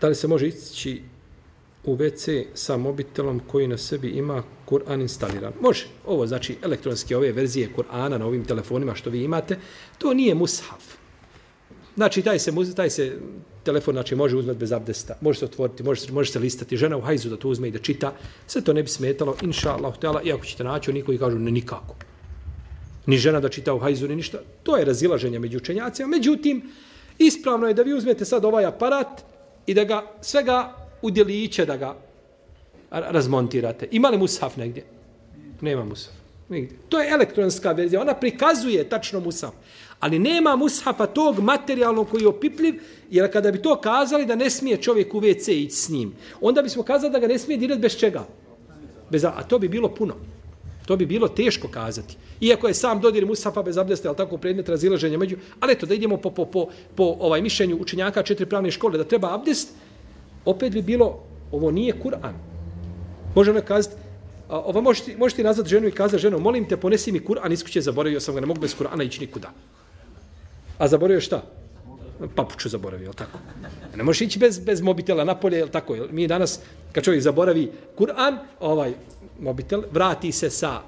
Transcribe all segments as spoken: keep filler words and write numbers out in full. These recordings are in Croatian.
Da li se može ići u ve ce sa mobitelom koji na sebi ima Kur'an instaliran? Može. Ovo znači elektronske ove verzije Kur'ana na ovim telefonima što vi imate, to nije mushaf. Znači taj se, taj se telefon znači, može uzmeti bez abdesta, može se otvoriti, može se, može se listati. Žena u hajzu da to uzme i da čita, sve to ne bi smetalo, inša Allah, iako ćete naći, oni koji kažu ne nikako. Ni žena da čita u hajzu, ni ništa. To je razilaženje među učenjacima. Međutim, ispravno je da vi uzmete sad ovaj aparat i da ga svega u djeliće da ga razmontirate. Ima li mushaf negdje? Nema mushaf. Nigdje. To je elektronska verzija. Ona prikazuje tačno mushaf. Ali nema mushafa tog materijalnog koji je opipljiv, jer kada bi to kazali da ne smije čovjek u ve ce ići s njim, onda bismo kazali da ga ne smije dirati bez čega? Bez, a to bi bilo puno. To bi bilo teško kazati. Iako je sam dodir mushafa bez abdesta, ali tako predmet razilaženja među, ali eto da idemo po, po, po, po ovaj mišljenju učenjaka četiri pravne škole da treba abdest, opet bi bilo, ovo nije Kur'an. Može ona kazati, a, ovo možete, možete nazvati ženu i kazati ženo, molim te, ponesi mi Kur'an, iz kuće zaboravio sam ga, ne mogu bez Kur'ana ići nikuda. A zaboravio šta? Papuču zaboravio, jel tako? Ne možeš ići bez, bez mobitela napolje, jel tako? Jel, mi danas, kad čovjek zaboravi Kur'an, ovaj mobitel, vrati se sa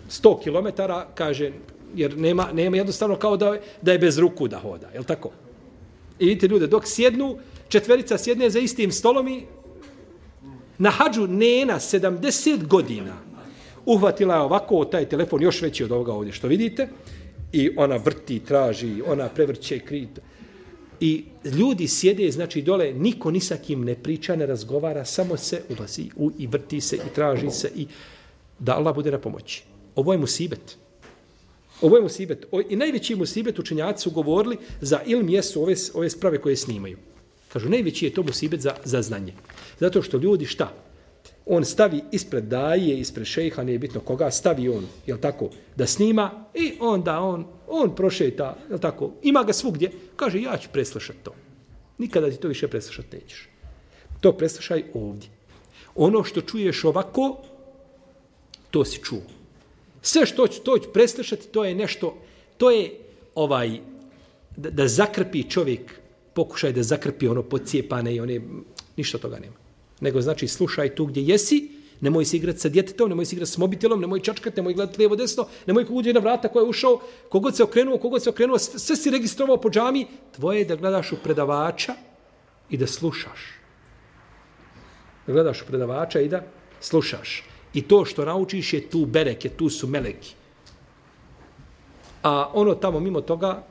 sto kilometara, kaže, jer nema, nema jednostavno kao da, da je bez ruku da hoda, jel tako? I vidite ljude, dok sjednu, četverica sjedne za istim stolom i na hađu nena sedamdeset godina uhvatila je ovako taj telefon, još veći od ovoga ovdje što vidite, i ona vrti, traži, ona prevrće krita. I ljudi sjede, znači dole, niko ni sa kim ne priča, ne razgovara, samo se ulazi u, i vrti se i traži se i da Allah bude na pomoći. Ovo je musibet. Ovo je musibet. O, I najveći musibet učenjaci su govorili za ilm jesu ove, ove sprave koje snimaju. Kažu, najveći je to musibet za, za znanje. Zato što ljudi šta? On stavi ispred daje, ispred šejha, nije bitno koga, stavi on, jel tako, da snima i onda on, on prošeta, jel tako, ima ga svugdje, kaže, ja ću preslušati to. Nikada ti to više preslušati nećeš. To preslušaj ovdje. Ono što čuješ ovako, to si čuo. Sve što ću, to ću preslušati, to je nešto, to je ovaj, da, da zakrpi čovjek, pokušaj da zakrpi ono podcijepane i one, ništa toga nema. Nego znači slušaj tu gdje jesi, nemoj se igrati sa djetetom, nemoj se igrati s mobitelom, nemoj čačkati, nemoj gledati lijevo desno, nemoj kogod je na vrata koja je ušao, kogod se okrenuo, kogod se okrenuo, sve, sve si registrovao po džami, tvoje je da gledaš u predavača i da slušaš. Da gledaš u predavača i da slušaš. I to što naučiš je tu bereke, tu su meleki. A ono tamo mimo toga,